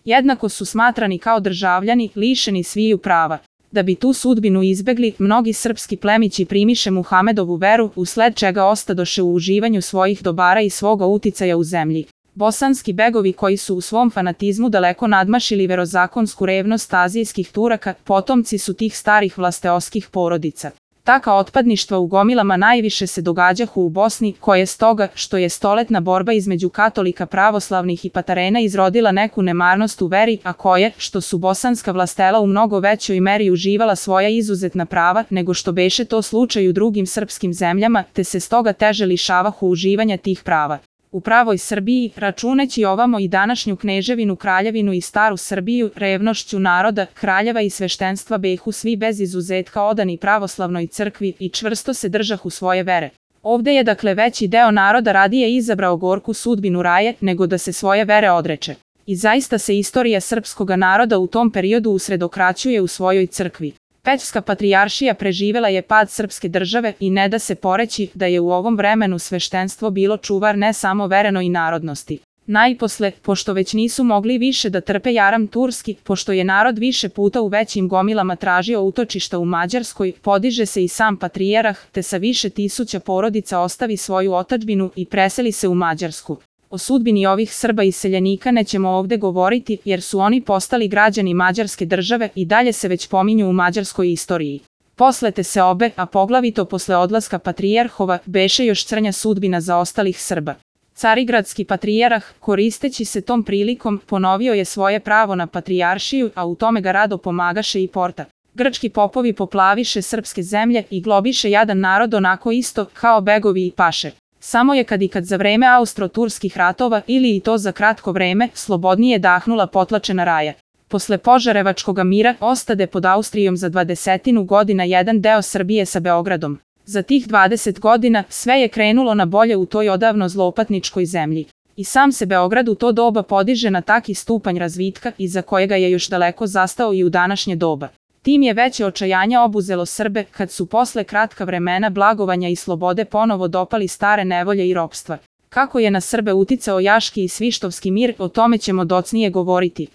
Jednako su smatrani kao državljani, lišeni sviju prava. Da bi tu sudbinu izbegli, mnogi srpski plemići primiše Muhamedovu veru, usled čega ostadoše u uživanju svojih dobara i svoga uticaja u zemlji. Bosanski begovi koji su u svom fanatizmu daleko nadmašili verozakonsku revnost azijskih Turaka, potomci su tih starih vlasteoskih porodica. Taka otpadništva u gomilama najviše se događahu u Bosni, koje stoga, što je stoletna borba između katolika pravoslavnih i patarena izrodila neku nemarnost u veri, a koje, što su bosanska vlastela u mnogo većoj meri uživala svoja izuzetna prava, nego što beše to slučaj u drugim srpskim zemljama, te se stoga teže lišavahu uživanja tih prava. U pravoj Srbiji, računeći ovamo i današnju kneževinu, kraljevinu i staru Srbiju, revnošću naroda, kraljeva i sveštenstva behu svi bez izuzetka odani pravoslavnoj crkvi i čvrsto se držahu svoje vere. Ovde je dakle veći deo naroda radije izabrao gorku sudbinu raje, nego da se svoje vere odreče. I zaista se istorija srpskoga naroda u tom periodu usredokraćuje u svojoj crkvi. Pećska patrijaršija preživela je pad srpske države i ne da se poreći da je u ovom vremenu sveštenstvo bilo čuvar ne samo verenoj narodnosti. Najposle, pošto već nisu mogli više da trpe jaram turski, pošto je narod više puta u većim gomilama tražio utočišta u Mađarskoj, podiže se i sam patrijarh, te sa više tisuća porodica ostavi svoju otadžbinu i preseli se u Mađarsku. O sudbini ovih Srba iseljenika nećemo ovde govoriti, jer su oni postali građani Mađarske države i dalje se već pominju u mađarskoj istoriji. Posle te seobe, a poglavito posle odlaska patrijarhova, beše još crnja sudbina za ostalih Srba. Carigradski patrijarh, koristeći se tom prilikom, ponovio je svoje pravo na patrijaršiju, a u tome ga rado pomagaše i Porta. Grčki popovi poplaviše srpske zemlje i globiše jadan narod onako isto kao begovi i paše. Samo je kad za vreme austro-turskih ratova ili i to za kratko vreme, slobodnije dahnula potlačena raja. Posle Požarevačkoga mira ostade pod Austrijom za 20 godina jedan deo Srbije sa Beogradom. Za tih 20 godina sve je krenulo na bolje u toj odavno zloupatničkoj zemlji. I sam se Beograd u to doba podiže na taki stupanj razvitka iza kojega je još daleko zastao i u današnje doba. Tim je veće očajanja obuzelo Srbe kad su posle kratka vremena blagovanja i slobode ponovo dopali stare nevolje i ropstva. Kako je na Srbe uticao Jaški i Svištovski mir, o tome ćemo docnije govoriti.